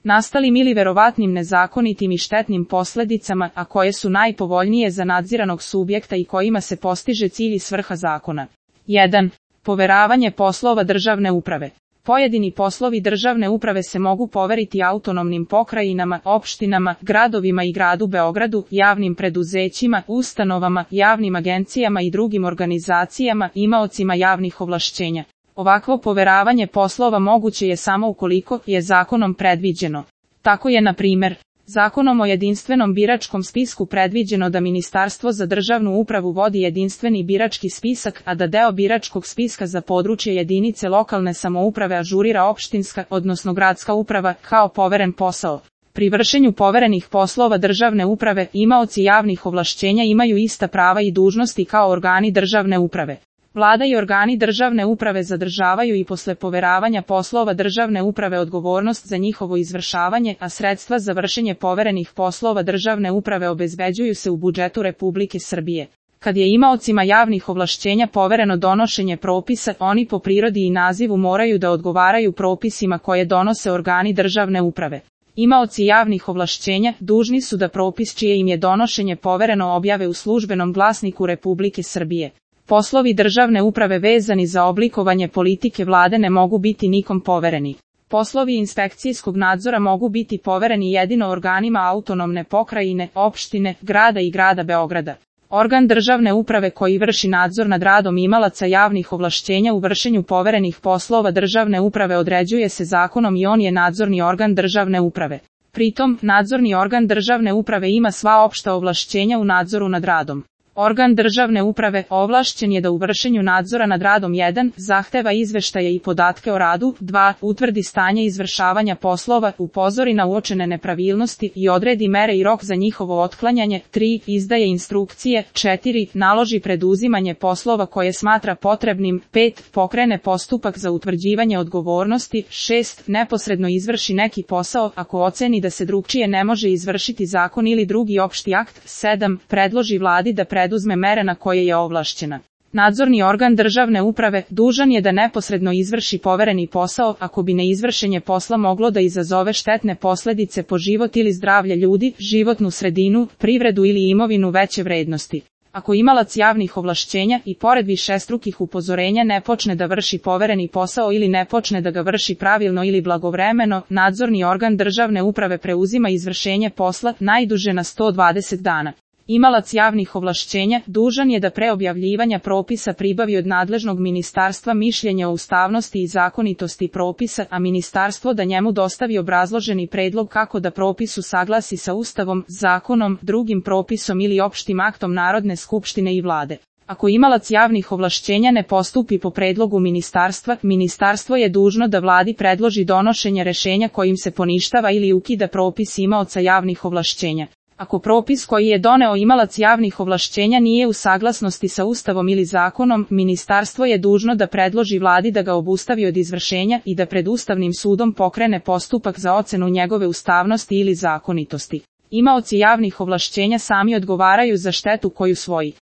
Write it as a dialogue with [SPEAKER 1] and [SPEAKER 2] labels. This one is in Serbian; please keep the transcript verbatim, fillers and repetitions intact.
[SPEAKER 1] nastalim ili verovatnim nezakonitim i štetnim posledicama, a koje su najpovoljnije za nadziranog subjekta i kojima se postiže cilj i svrha zakona. jedan. Poveravanje poslova državne uprave. Pojedini poslovi državne uprave se mogu poveriti autonomnim pokrajinama, opštinama, gradovima i gradu Beogradu, javnim preduzećima, ustanovama, javnim agencijama i drugim organizacijama, imaocima javnih ovlašćenja. Ovakvo poveravanje poslova moguće je samo ukoliko je zakonom predviđeno. Tako je, na primer, Zakonom o jedinstvenom biračkom spisku predviđeno da Ministarstvo za državnu upravu vodi jedinstveni birački spisak, a da deo biračkog spiska za područje jedinice lokalne samouprave ažurira opštinska, odnosno gradska uprava, kao poveren posao. Pri vršenju poverenih poslova državne uprave, imaoci javnih ovlašćenja imaju ista prava i dužnosti kao organi državne uprave. Vlada i organi državne uprave zadržavaju i posle poveravanja poslova državne uprave odgovornost za njihovo izvršavanje, a sredstva za vršenje poverenih poslova državne uprave obezbeđuju se u budžetu Republike Srbije. Kad je imaocima javnih ovlašćenja povereno donošenje propisa, oni po prirodi i nazivu moraju da odgovaraju propisima koje donose organi državne uprave. Imaoci javnih ovlašćenja dužni su da propis čije im je donošenje povereno objave u službenom glasniku Republike Srbije. Poslovi državne uprave vezani za oblikovanje politike vlade ne mogu biti nikom povereni. Poslovi inspekcijskog nadzora mogu biti povereni jedino organima autonomne pokrajine, opštine, grada i grada Beograda. Organ državne uprave koji vrši nadzor nad radom imalaca javnih ovlašćenja u vršenju poverenih poslova državne uprave određuje se zakonom i on je nadzorni organ državne uprave. Pritom, nadzorni organ državne uprave ima sva opšta ovlašćenja u nadzoru nad radom. Organ državne uprave ovlašćen je da u vršenju nadzora nad radom jedan zahteva izveštaje i podatke o radu, dva utvrdi stanje izvršavanja poslova, upozori na uočene nepravilnosti i odredi mere i rok za njihovo otklanjanje, tri izdaje instrukcije, četiri naloži preduzimanje poslova koje smatra potrebnim, pet pokrene postupak za utvrđivanje odgovornosti, šest neposredno izvrši neki posao ako oceni da se drugčije ne može izvršiti zakon ili drugi opšti akt, sedam predloži vladi da preduzme preduzme mere na koje je ovlašćena. Nadzorni organ državne uprave dužan je da neposredno izvrši povereni posao ako bi neizvršenje posla moglo da izazove štetne posledice po život ili zdravlje ljudi, životnu sredinu, privredu ili imovinu veće vrednosti. Ako imalac javnih ovlašćenja i pored višestrukih upozorenja ne počne da vrši povereni posao ili ne počne da ga vrši pravilno ili blagovremeno, nadzorni organ državne uprave preuzima izvršenje posla najduže na sto dvadeset dana. Imalac javnih ovlašćenja dužan je da pre objavljivanja propisa pribavi od nadležnog ministarstva mišljenje o ustavnosti i zakonitosti propisa, a ministarstvo da njemu dostavi obrazloženi predlog kako da propis usaglasi sa Ustavom, zakonom, drugim propisom ili opštim aktom Narodne skupštine i vlade. Ako imalac javnih ovlašćenja ne postupi po predlogu ministarstva, ministarstvo je dužno da vladi predloži donošenje rešenja kojim se poništava ili ukida propis imaoca javnih ovlašćenja. Ako propis koji je doneo imalac javnih ovlašćenja nije u saglasnosti sa Ustavom ili zakonom, ministarstvo je dužno da predloži vladi da ga obustavi od izvršenja i da pred Ustavnim sudom pokrene postupak za ocenu njegove ustavnosti ili zakonitosti. Imaoci javnih ovlašćenja sami odgovaraju za štetu koju svoji